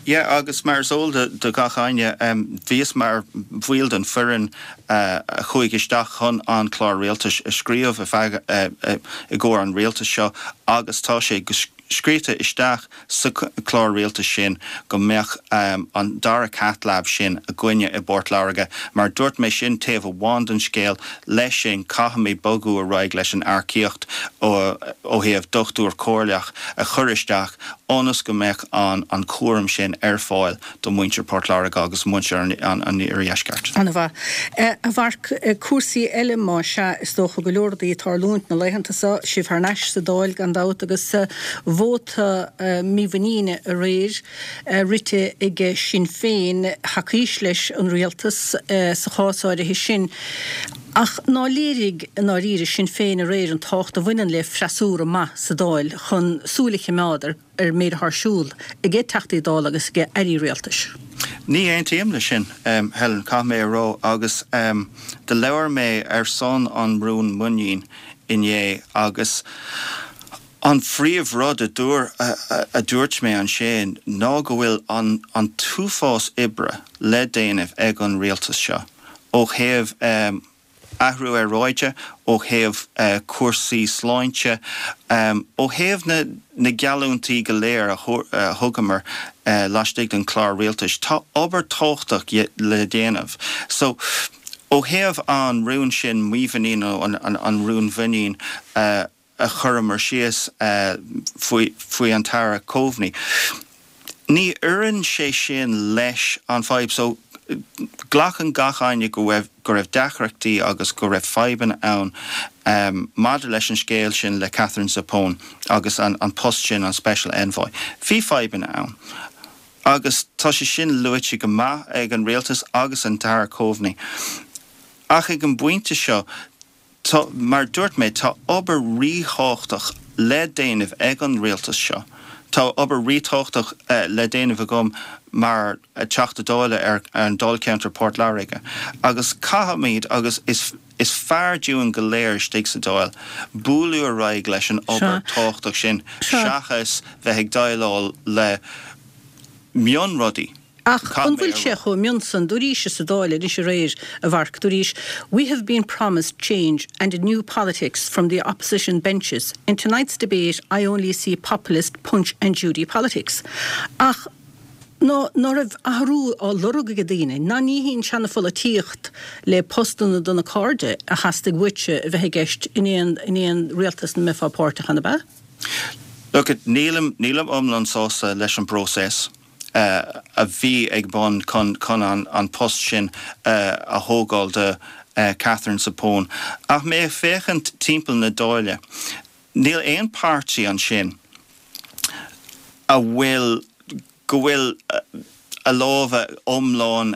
Yeah, agus mar is eol do gach éinne, bhíos mar bhaill den foireann a chuaigh isteach chun an clár rialtais a scríobh i gcomhair an rialtais seo agus tá sé go scríofa isteach sa chlár rialtais sin go mbeadh an dara cath lab sin againne i bPort Láirge. Mar dúirt mé sin taobh amháin den scéal, leis sin caithfimid bogadh ar aghaidh leis an earcaíocht ó thaobh dochtúir comhairleach a chur isteach ionas go mbeadh an an cúram sin ar fáil do mhuintir Port Láirge agus muintir an an iardheisceart. An-mhaith. A Mharc, cúrsaí eile má sea, is dócha go leor rudaí ag tarlúint na laethanta seo, sibh thar n-ais sa Dáil gan dabht agus vóta mímhuiníne aréir rite ag Sinn Féin, thacaís leis an rialtas sa chás áirithe sin. Ach ná léirigh i ndáiríre Sinn Féin aréir an tábhacht a bhaineann le freasúra maith sa Dáil chun súil a choimeád ar an méid atá ar siúl ag Teachtaí Dála agus ag airí rialtais? Ní aontaím leis sin, Helen, caithfidh mé a rá, agus do labhair mé ar son an rún muinín inné agus an phríomhrud a dúir a dúirt mé ansin ná go bhfuil an an t-uafás oibre le déanamh ag an rialtas seo ó thaobh athrú aeráide, ó thaobh cúrsaí sláinte, ó thaobh na na geallúintí go léir a thugamar laistigh den chlár rialtais. Tá obair tábhachtach le déanamh. So, ó thaobh an rún sin mímhuinín nó an rún mhuinín a chuireamar síos faoi faoi an tAire Coveney, ní oireann sé sin leis an fadhb. So, glacann gach éinne go raibh go raibh deacrachtaí agus go raibh fadhbanna ann maidir leis an scéal sin le Katherine Zappone agus an an post sin, an Special Envoy. Bhí fadhbanna ann agus tá sé sin luaite go maith ag an rialtas agus an tAire Coveney. Ach ag an bpointe seo, tá, mar dúirt mé, tá obair ríthábhachtach le déanamh ag an rialtas seo. Tá obair ríthábhachtach le déanamh agam mar Teachta Dála ar an Dáilcheantar Port Láirge agus caithfimid agus is is fearr dúinn go léir istigh sa Dáil bualadh ar aghaidh leis an obair tábhachtach sin seachas bheith ag déileáil le mionrudaí. Ach an bhfuil sé chomh mion san? Dúraís sa Dáil anois aréir, a Mharc, dúraís, We have been promised change and a new politics from the opposition benches. In tonight's debate I only see populist punch and Judy politics. Ach ná ná raibh athrú á lorg ag daoine, ná ní hí an seana-pholaitíocht le postanna do na cairde a theastaigh uaitse a bheith i gceist in aon in aon rialtas ina mbeifeá páirteach ann, ab ea? Look, nílim nílim iomlán sásta leis an bpróiseas a bhí ag bun chun chun an an post sin a thógáil de Katherine Zappone. Ach mé ag féachaint timpeall na Dáile, níl aon páirtí ansin a bhfuil go bhfuil a lámha iomlán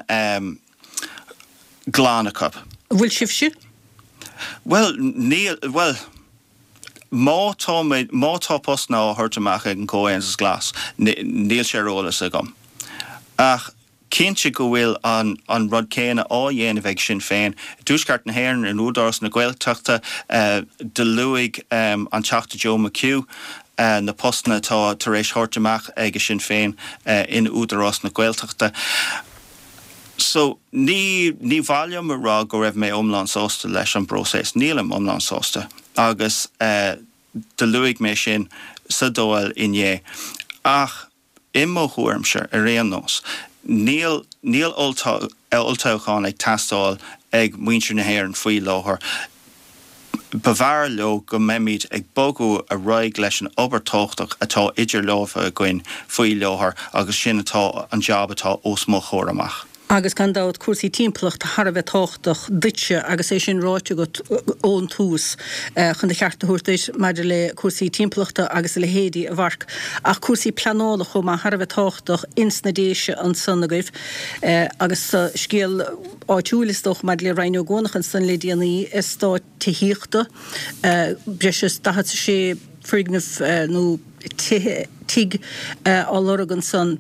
glan acu. An bhfuil sibhse? Bhuel, níl, bhuel, má tá mé, má tá postanna á thabhairt amach ag an Comhaontas Glas, níl sé ar eolas agam. Ach cinnte go bhfuil an an rud céanna á dhéanamh ag Sinn Féin i dTuaisceart na hÉireann, in Údarás na Gaeltachta, do luaigh an Teachta Joe McHugh na postanna atá tar éis thabhairt amach ag Sinn Féin in Údarás na Gaeltachta. So, ní ní mhaith liom a rá go raibh mé iomlán sásta leis an bpróiseas. Nílim iomlán sásta agus do luaigh mé sin sa Dáil inné. Ach i mo thuairimse, ar aon nós, níl níl olltoghchán ag teastáil ag muintir na hÉireann faoi láthair. B'fhearr leo go mbeimid ag bogadh ar aghaidh leis an obair tábhachtach atá idir lámha againn faoi láthair agus sin atá an jab atá os mo chomhair amach. Agus gan dabht cúrsaí timpeallachta thar a bheith tábhachtach duitse agus é sin ráite agat ón tús chun do cheart a thabhairt duit maidir le cúrsaí timpeallachta agus a leithéidí, a Mharc. Ach cúrsaí pleanála chomh maith thar a bheith tábhachtach ins na Déise ansan agaibh agus scéal áitiúil is dócha maidir le Ryan Ó Cuanach ansan le déanaí, eastát tithíochta, breis is daichead is a sé foirgneamh nó tithe, tigh á lorg ansan.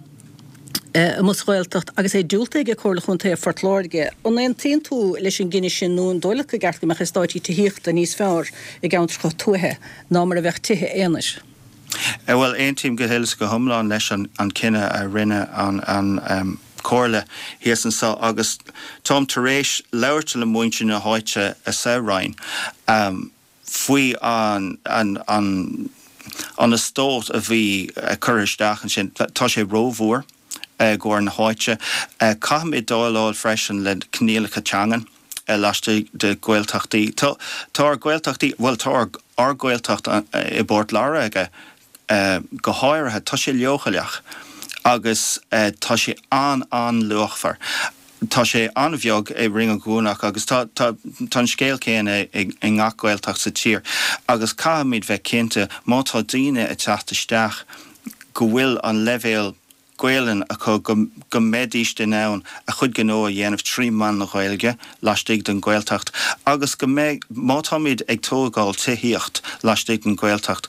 Amuigh sa Ghaeltacht agus é diúltaithe ag Comhairle Chontae Phort Láirge. An aontaíonn tú leis an gcinneadh sin nó an dóigh leat go gceart go mbeadh eastáití tithíochta níos fearr i gceantracha tuaithe ná mar a bheadh tithe aonair? Bhuel, aontaím go huile is go hiomlán leis an cinneadh a rinne an Chomhairle thíos anseo agus táim tar éis labhairt le muintir na háite sa Rinn faoi an an an eastát a bhí curtha isteach ansin. Tá sé rómhór i gcomhair na háite. Caithfimid déileáil freisin le coinníollacha teangan laistigh de Ghaeltachtaí. Tá ár Gaeltachtaí, bhuel tá ár Gaeltacht i bPort Láirge go háirithe, tá sé leochaileach agus tá sé an-an-luachmhar. Tá sé an-bheag i Rinn Ó gCuanach agus tá tá an scéal céanna i ngach Gaeltacht sa tír agus caithfimid bheith cinnte má tá daoine ag teacht isteach go bhfuil an leibhéal Gaelainn acu go go mbeidís in ann a chuid gnó a dhéanamh trí mheán na Gaeilge laistigh den Ghaeltacht agus go mbeidh, má táimid ag tógáil tithíocht laistigh den Ghaeltacht,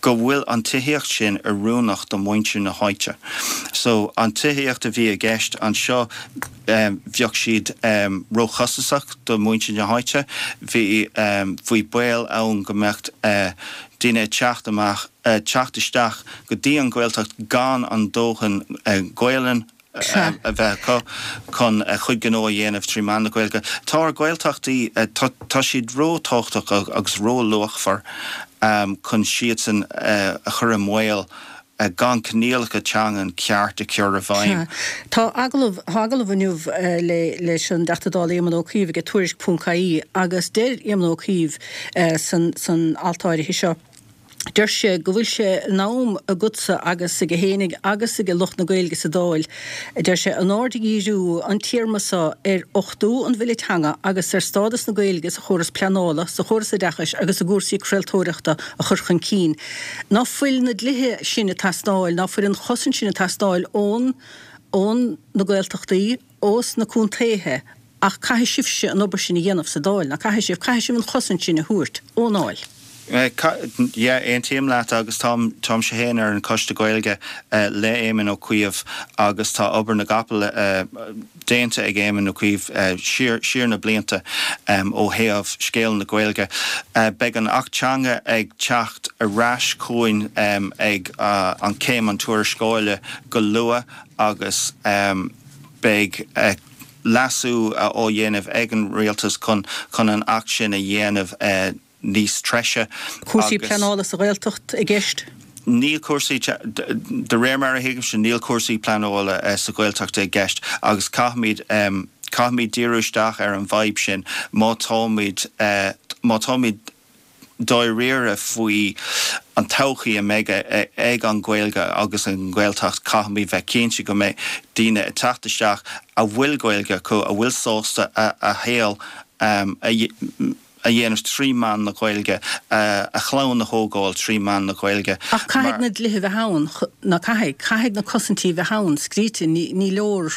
go bhfuil an tithíocht sin oiriúnach do mhuintir na háite. So, an tithíocht a bhí i gceist anseo, bheadh siad róchostasach do mhuintir na háite, bhí bhí baol ann go mbeadh daoine ag teacht amach, teacht isteach go dtí an Ghaeltacht gan an dóthain Gaelainn a bheith acu chun a chuid gnó a dhéanamh trí mheán na Gaeilge. Tá ár Gaeltachtaí, tá siad ró-tábhachtach agus ró-luachmhar chun siadsan a chur i mbaol gan coinníollacha teangan ceart a chur i bhfeidhm. Tá agallamh, tá agallamh inniu le leis an dTeachta Dála Éamon Ó Cuív ag Tuairisc ponc ie agus deir Éamon Ó Cuív san san alt áirithe seo, Deir sé go bhfuil sé in am agatsa agus aige fhéinig agus ag lucht na Gaeilge sa Dáil, a deir sé, an aird a dhíriú an téarma seo ar achtú an Bhille Teanga agus ar stádas na Gaeilge sa chóras pleanála, sa chóras oideachais agus i gcúrsaí craoltóireachta a chur chun cinn. Ná fuil na dlíthe sin ag teastáil, ná fuil an chosaint sin ag teastáil ón ón na Gaeltachtaí, ós na contaetha ach caithfidh sibhse an obair sin a dhéanamh sa Dáil, ná caithfidh sibh, caithfidh sibh an chosaint sin a thabhairt ón nDáil. Yeah, aontaím leat agus táim, táimse féin ar an Choiste Gaeilge le Éamon Ó Cuív agus tá obair na gcapall déanta ag Éamon Ó Cuív siar, siar na blianta ó thaobh scéal na Gaeilge. Beidh an Acht Teanga ag teacht ar ais chugainn ag an céim an tuarascáile go luath agus beidh leasú á dhéanamh ag an Rialtas chun, chun an Acht sin a dhéanamh níos treise. Cúrsaí pleanála sa Ghaeltacht i gceist? Níl cúrsaí, de réir mar a thuigimse, níl cúrsaí pleanála sa Ghaeltacht i gceist agus caithfimid, caithfimid díriú isteach ar an bhfadhb sin má táimid, má táimid dáiríre faoi an todhchaí a mbeidh ag an Ghaeilge agus an Ghaeltacht, caithfimid bheith cinnte go mbeidh daoine ag teacht isteach a bhfuil Gaeilge acu, a bhfuil sásta a shaol a a dhéanamh trí mheán na Gaeilge, a chlann a thógáil trí mheán na Gaeilge. Ach caithfidh na dlíthe bheith ann, ná caithfidh? Caithfidh na cosaintí bheith ann, scríte, ní leor,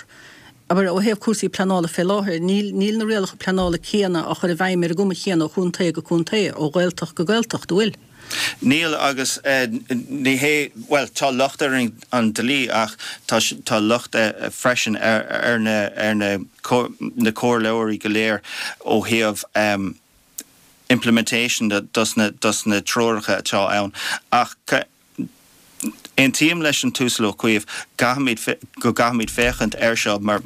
abair, ó thaobh cúrsaí pleanála fé láthair, níl, níl na rialacha pleanála céanna á chur i bhfeidhm ar an gcuma chéanna ó chontae go contae, ó Ghaeltacht go Gaeltacht, an bhfuil? Níl agus ní hé, bhuel, tá locht ar an dlí ach tá, tá locht freisin ar, ar na, ar na, na comhairleoirí go léir ó thaobh implementation dos na, dos na treoracha atá ann. Ach aontaím leis an tUasal Ó Cuív, gcaithfimid, go gcaithfimid féachaint air seo mar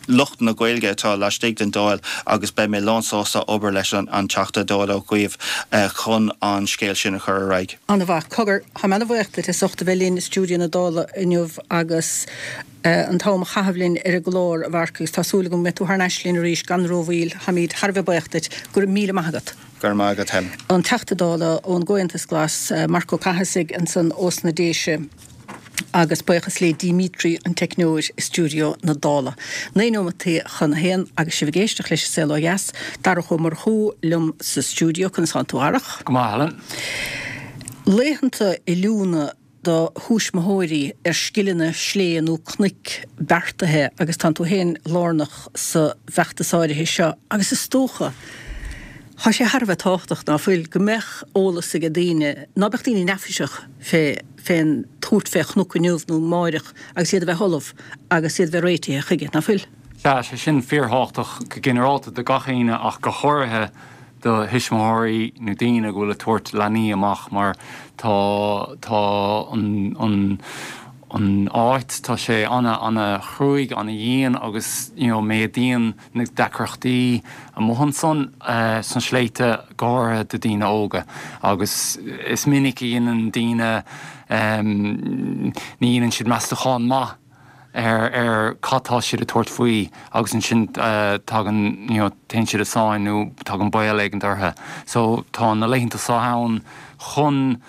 lucht na Gaeilge atá laistigh den Dáil agus beidh mé lánsásta obair leis an Teachta Dála Ó Cuív chun an scéal sin a chur ar aghaidh. An-mhaith. Cogar, táim ana-bhuíoch duit as ucht a bheith linn i stiúideo na Dála inniu agus an t-am a chaitheamh linn ar an gclár, a Mharc, agus tá súil agam go mbeidh tú thar n-ais linn arís gan rómhoill. Táimid thar a bheith buíoch duit. Go raibh míle maith agat. Go raibh maith agat, Helen. An Teachta Dála ón gComhaontas Glas, Marc Ó Cathasaigh, ansan ós na Déise. Agus buíochas le Dimitri, an teicneoir i stiúideo na Dála. Naoi nóimeataí chun a haon agus sibh ag éisteacht leis An Saol Ó Dheas, Darach Ó Murchú liom sa stiúideo. Conas tánn tú, a Dharach? Go maith, Helen. Laethanta oiliúna do thuismitheoirí ar scileanna slé nó cnoic beartaithe agus tánn tú féin lárnach sa bhfeachtas áirithe seo agus is dócha, Tá sé thar a bheith tábhachtach, ná fuil, go mbeadh eolas ag daoine, ná beadh daoine neafaiseach fé fén tabhairt fé chnoc inniu nó amáireach agus iad a bheith ullamh agus iad a bheith réitithe chuige, nach bhfuil? Sea, sé sin fíorthábhachtach go ginearálta do gach éinne ach go háirithe do thuismitheoirí nó daoine go bhfuil ag tabhairt leanaí amach mar tá tá an an an áit tá sé ana ana chruaidh ana dhian agus you know méadaíonn na deacrachtaí amuigh ansan uh, sna sléibhte go háirithe do daoine óga agus is minic a dhéanann daoine um, ní dhéanann siad meastachán maith ar ar cad tá siad ag tabhairt faoi agus ansin uh, tagann you know, téann siad i sáinn nó tagann baol éigin orthu. So tá na laethanta seo ann chun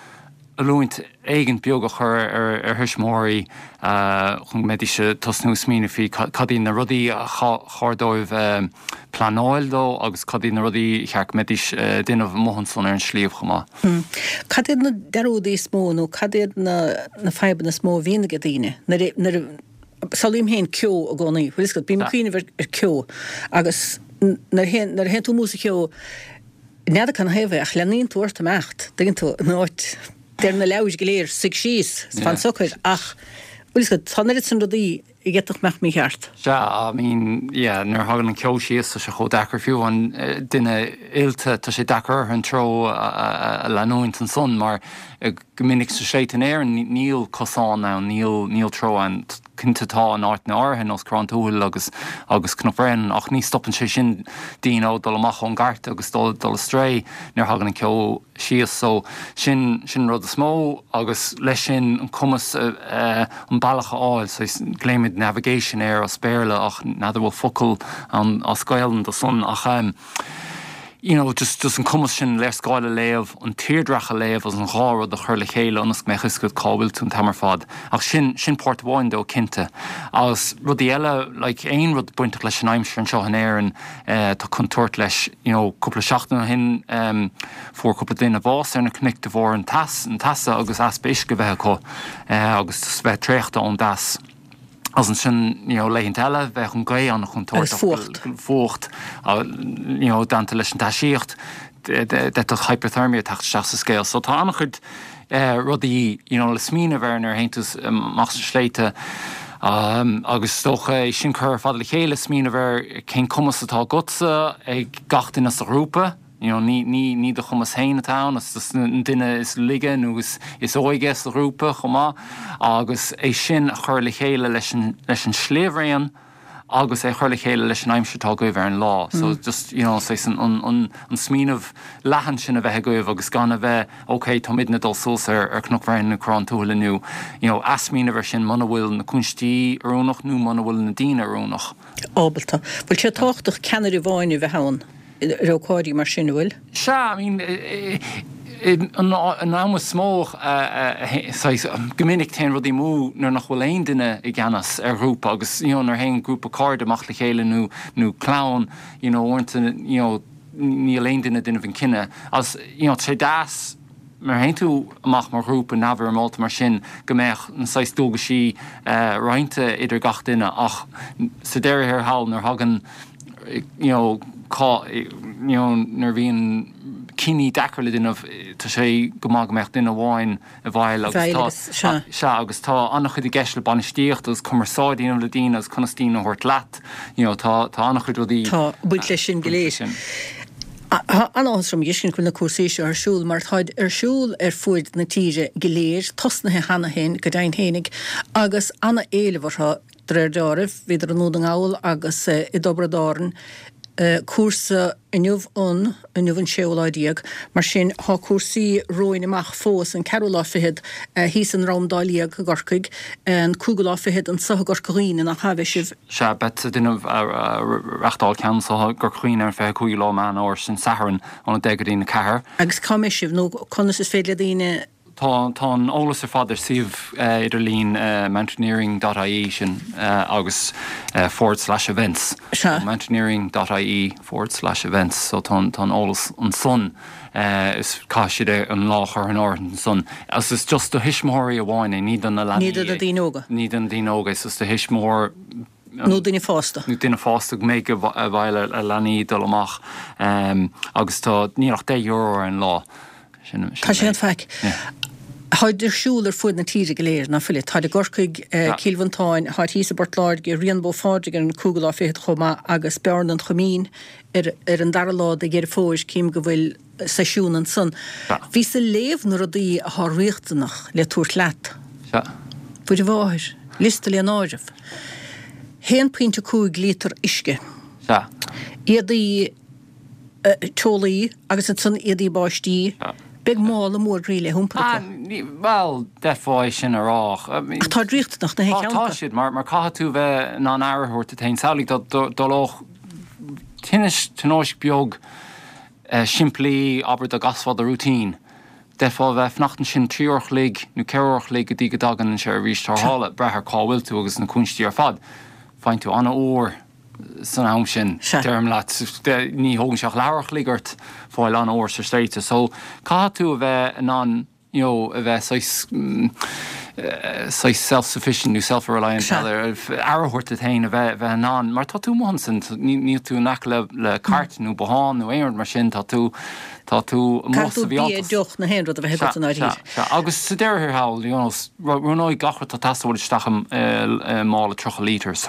oiliúint éigin beag a chur ar ar thuismitheoirí uh, chun go mbeidís ag tosnú smaoineamh faoi cad iad na rudaí a chóir dóibh uh, pleanáil dó agus cad iad na rudaí cheart go mbeidís uh, déanamh amuigh ansan ar an sliabh chomh maith. Hmm. Cad iad na dearúdaí is mó nó cad iad na na fadhbanna is mó a bhíonn ag daoine nuair nuair samhlaím féin ceo i gcónaí, bhfuil fhios agat, bím ag cuimhneamh ar ar ceo agus nuair a théann nuair a théann tú amú sa cheo n'fheadar cén thaobh é ach leanaíonn tú ort imeacht, dtuigeann tú, in áit deir na leabhair go léir suigh síos, fan socair ach bhfuil fhios agat, tá an oiread sin rudaí a d'fhéadfadh mbeadh mícheart. Sea, I mean, yeah, nuair a thagann an ceo síos tá sé chomh deacair fiú an duine oilte tá sé deacair orthu an treo a leanúint ansan mar go minic sna sléibhte in Éirinn níl cosán ann, níl níl treo ann. Cinnte tá in áiteanna áirithe nós Corrán Tuathail agus agus Cnoc Bréanainn ach ní stopann sé sin daoine ó dul amach ón gcairt agus dul dul astray nuair a thagann an ceo síos. So sin sin an rud is mó agus leis sin an cumas an bealach a fháil, so glaoimid navigation air as Béarla ach n'fheadar bhfuil focal ann as Gaelainn do san ach um, you know, just, just an cumas sin léarscáil a léamh, an tírdhreach a léamh agus an dhá rud a chur le chéile ionas go mbeadh fhios agat cá bhfuil tú an t-am ar fad. Ach sin, sin páirt amháin dó cinnte. Agus rudaí eile, like, aon rud bainteach leis an aimsir anseo in Éirinn, eh, tá contúirt leis, you know, cúpla seachtain ó shin, um, fuair cúpla duine bás ar na cnoic de bharr an teas, an teasa agus easpa uisce bheith acu, eh, agus bheith traochta ón dteas. Agus ansin you know, laethanta eile bheadh an ghaoth an-chontúirteach. Agus fuacht. Fuacht, you know, déanta leis an teasaíocht, d'fhéadfadh hypothermia teacht isteach sa scéal. So tá an-chuid eh, rudaí you know, le smaoineamh air nuair a théann tú amach sna sléibhte. Um, agus is dócha é sin cur ar fad le chéile smaoineamh ar cén cumas atá agatsa ag gach duine sa ghrúpa. You know, ní, ní, ní do chumas féin atá ann, is an duine is laige nó is, is óige sa ghrúpa chomh maith, agus é sin a chur le chéile leis an, leis an sliabhraon agus é chur le chéile leis an aimsir atá agaibh ar an lá. So mm. just, you know, saghas an, an, an, an smaoineamh leathan sin a bheith agaibh agus gan a bheith, ok, táimidne dul suas ar, ar Cnoc Bhréanainn nó Corrán Tuathail inniu, you know, athsmaoineamh ar sin muna bhfuil na cúinsí oiriúnach nó muna bhfuil na daoine oiriúnach. Ábalta. Bhfuil sé tábhachtach ceannaire amháin a bheith ann ar ócáidí mar sin, an bhfuil? Sea, I mean, an am is mó, saghas, go minic téann rudaí amú nuair nach bhfuil aon duine i gceannas ar ghrúpa agus, you know, nuair a théann grúpa cairde amach le chéile nó nó clann, you know, uaireanta, you know, níl aon duine ag déanamh an cinneadh. Agus, you know, tá sé deas nuair a théann tú amach mar ghrúpa neamhfhoirmeálta mar sin go mbeadh na saghas dualgaisí roinnte idir gach duine ach sa deireadh thiar thall nuair a thagann you know cá you know nuair a bhíonn cinní deacair le déanamh tá sé go maith go mbeadh duine amháin i bhfeighil agus tá sea agus tá an-chuid i gceist le bainistíocht agus cumarsáid a dhéanamh le daoine agus conas daoine a thabhairt leat you know tá tá an-chuid rudaí Tá baint leis sin go léir. Tá an-áthas orm a fheiscint go bhfuil na cúrsaí seo ar siúl mar táid ar siúl ar fuaid na tíre go léir, tosnaithe cheana féin go deimhin fhéinig, agus ana-éileamh orthu de réir deáraimh. Bhíodar i nDún na nGall agus i dTiobraid Árann, cúrsa inniu an, inniu an séú lá déag, mar sin tá cúrsaí romhainn amach fós, an ceathrú lá fichead thíos i nDroim Dá Liag i gCorcaigh, an cúigiú lá fichead anso i gCorca Dhuibhne, nach ea, beidh sibh. Sea, beidh ag déanamh, reachtáil ceann anso i gCorca Dhuibhne ar an fiche cúigiú lá Meán Fhómhair, sin Satharn, ón a deich go dtí'n a ceathair. Agus cá mbeidh sibh, nó conas is féidir le daoine. Tá tá an eolas ar fad ar suíomh idirlín mountaineering dot ie sin agus forward slash events. Sea. mountaineering dot ie forward slash events so tá tá an eolas ansan is caithfidh siad an lá a chur in áirithe ansan. Agus is just do thuismitheoirí amháin é, ní do na leanaí Ní do na é. daoine óga. Ní do na daoine óga é, is do thuismitheoir Nó duine fásta. Nó duine fásta go mbeidh i bhfeighil a leanaí dul amach agus tá níl ach deich euro ar an lá. Tá sé an faic. Táid ar siúl ar fuaid na tíre go léir, ná fuilid? Táid i gCorcaigh, Cill Mhantáin, táid thíos i bPort Láirge, Rian Bó Phádraig ar an cúigiú lá fichead chomh maith agus Bearna an Choimín ar ar an dara lá de Dheireadh Fómhair, cím go bhfuil seisiún ansan. Bhíos ag léamh na rudaí athá riachtanach le tabhairt leat. Mhuire Mháthair, liosta le n-áireamh. Haon pointe cúig líotar uisce. Éadaí teolaí agus ansan éadaí báistí. Beidh mála mór groí le hiompar acu. Bhuel, d'fhéadfá é sin a rá. Ach táid riachtanach na haon cheann acu. Tá siad, mar mar caithfidh tú bheith in ann aire a thabhairt duit féin. Samhlaigh dá dtarlódh tinneas, tionóisc beag simplí, abair dá gcasfá do rúitín. D'fhéadfá a bheith ag fanacht ansin trí uair a chloig nó ceithre uair a chloig go dtí go dtagann an tseirbhís tarrthála, brath ar cá bhfuil tú agus na cúinsí ar fad. Faigheann tú an-fhuar san am sin, deirim leat, ní thógann sé ach leathuair a chloig ort fáil an-fhuar sa sléibhte. So, caithfidh tú a bheith in ann, you know, a bheith saghas, saghas self-sufficient nó self-reliant, aire a thabhairt duit féin, a bheith, bheith in ann, mar tá tú amuigh ansin, níl tú in aice le, le cairt nó bothán nó aon rud mar sin, tá tú, tá tú amuigh sa bhfiántas. Caithfidh tú bia, deoch, na haon rud a bheith agat i ndáiríre. Sea, sea. Agus sa deireadh thiar thall, you know, roghnóidh gach rud atá ag teastáil isteach i mála tríocha litres.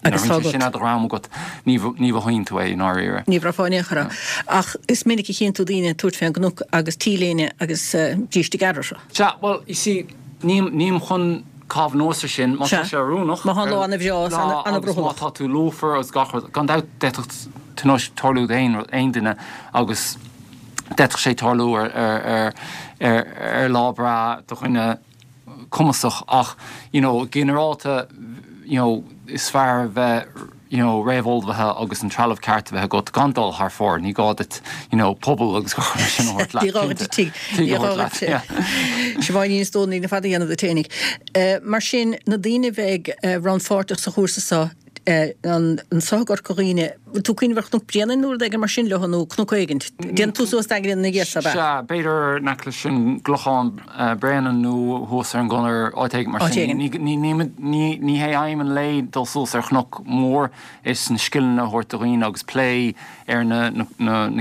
Agus tá sin ar do dhroim agat, ní mhothaíonn tú é i ndáiríre. Ní bhraithfeá in aon chor é. Ach is minic a chíonn tú daoine ag tabhairt fén gcnoc agus T-léine agus bríste gearr orthu. Sea, bhuel, you see, nílim chun caitheamh anuas ar sin, má tá sé oiriúnach. Má tá an lá ana-bhreá is ana-bhrothallach. Má tá tú lúfar agus gach rud, gan dabht d'fhéadfadh tionóisc tarlú d'aon duine agus d'fhéadfadh sé tarlú ar lá breá do dhuine cumasach ach you know ginearálta you know is fearr a bheith you know réamhullmhaithe agus an trealamh ceart a bheith agat gan dul thar fóir, ní gá duit you know puball agus gach rud mar sin a thabhairt leat. Ní gá duit tigh, ní gá duit yeah. Siobhán Ní Stónaigh na fada a dhéanamh duit fhéinig. Mar sin na daoine a bheidh rannpháirteach sa chúrsa seo anso i gCorca Dhuibhne, bhfuil tú ag cuimhneamh ar Chnoc Bréanainn nó rud éigin mar sin leo nó cnoc éigint? Déanann tú suas d'eagraíonn na gcéadta, ab ea? Sea, b'fhéidir in aice leis an gClochán Bréanainn nó thuas ar an gConair, áit éigin mar sin. Ní hé aidhm an lae dul suas ar chnoc mór, is na scileanna a thabhairt do dhaoine agus plé ar na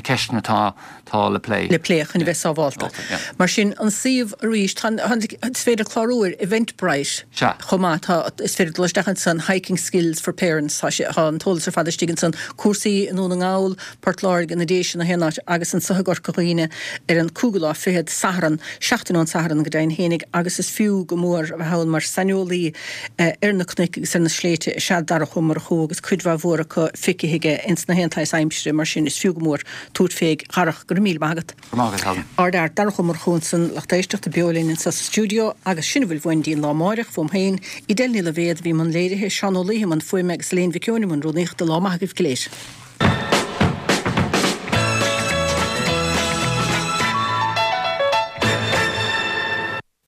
ceisteanna atá tá le plé. le plé chun a bheith sábhálta. Mar sin, an suíomh arís, tá, is féidir clárú ar Eventbrite chomh maith, tá, is féidir dul isteach ansan, Hiking Skills for Parents, tá sé, tá an t-eolas ar fad istigh ansan, cúrsaí i nDún na nGall, Port Láirge, na Déise, na haon áit agus anso i gCorca Dhuibhne ar an cúigiú lá fichead, Satharn, seachtain ón Satharn go deimhin fhéinig agus is fiú go mór a bheith ann mar saineolaí ar na cnoic agus ar na sléibhte is ea Darach Ó Murchú agus cuid mhaith mhór acu feicthe aige ins na haon tsaghas aimsire, mar sin is fiú go mór tabhairt fé. A Dharach, go raibh míle maith agat. Go raibh maith agat, Helen. Ár bhfear, Darach Ó Murchú ansan, lucht éisteachta beo linn anso sa stiúideo agus sin a bhfuil uainn dtí'n lá amáireach, fúm féin, Edel Ní Loibhéad a bhí i mbun léirithe, Seán Ó Laoithe i mbun fuaime agus Elaine Mhic Eoin i mbun rúnaíochta. Lá maith agaibh go léir.